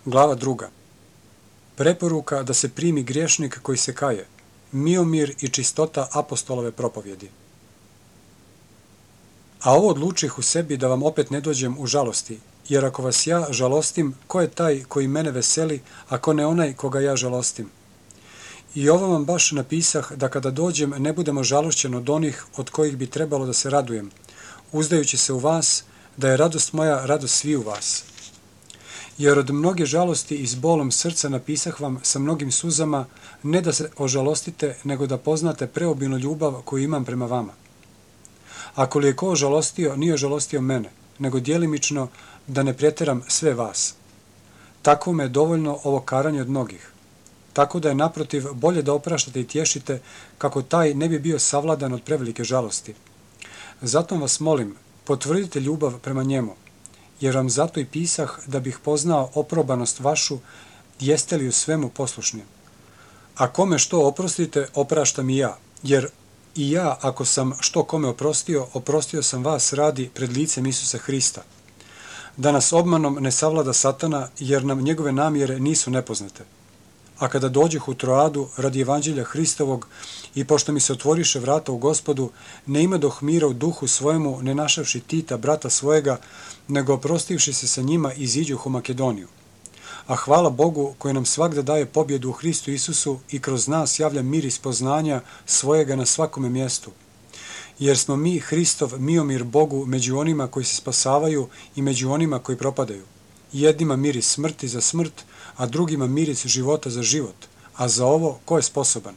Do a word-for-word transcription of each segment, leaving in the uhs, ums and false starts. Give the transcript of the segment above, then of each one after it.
Glava druga. Preporuka da se primi griješnik koji se kaje. Miomir i čistota apostolove propovjedi. A ovo odlučih u sebi da vam opet ne dođem u žalosti, jer ako vas ja žalostim, ko je taj koji mene veseli, ako ne onaj koga ja žalostim? I ovo vam baš napisah da kada dođem ne budemo žalošćen od onih od kojih bi trebalo da se radujem, uzdajući se u vas, da je radost moja radost svi u vas. Jer od mnoge žalosti i s bolom srca napisah vam sa mnogim suzama, ne da se ožalostite, nego da poznate preobilnu ljubav koju imam prema vama. Ako li je ko ožalostio, nije ožalostio mene, nego djelimično da ne pretjeram sve vas. Tako me je dovoljno ovo karanje od mnogih. Tako da je naprotiv bolje da opraštate i tješite, kako taj ne bi bio savladan od prevelike žalosti. Zato vas molim, potvrdite ljubav prema njemu, jer vam zato i pisah da bih poznao oprobanost vašu, jeste li u svemu poslušni. A kome što oprostite, opraštam i ja, jer i ja, ako sam što kome oprostio, oprostio sam vas radi pred licem Isusa Hrista. Da nas obmanom ne savlada Satana, jer nam njegove namjere nisu nepoznate. A kada dođeh u Troadu radi evanđelja Hristovog i pošto mi se otvoriše vrata u Gospodu, ne imadoh mira u duhu svojemu, ne našavši Tita, brata svojega, nego oprostivši se sa njima iziđuh u Makedoniju. A hvala Bogu koji nam svagda daje pobjedu u Hristu Isusu i kroz nas javlja mir iz poznanja svojega na svakome mjestu. Jer smo mi Hristov miomir Bogu među onima koji se spasavaju i među onima koji propadaju. Jednima miris smrti za smrt, a drugima miris života za život, a za ovo ko je sposoban?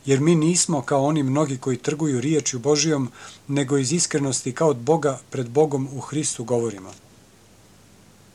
Jer mi nismo kao oni mnogi koji trguju riječju Božijom, nego iz iskrenosti kao od Boga pred Bogom u Hristu govorimo.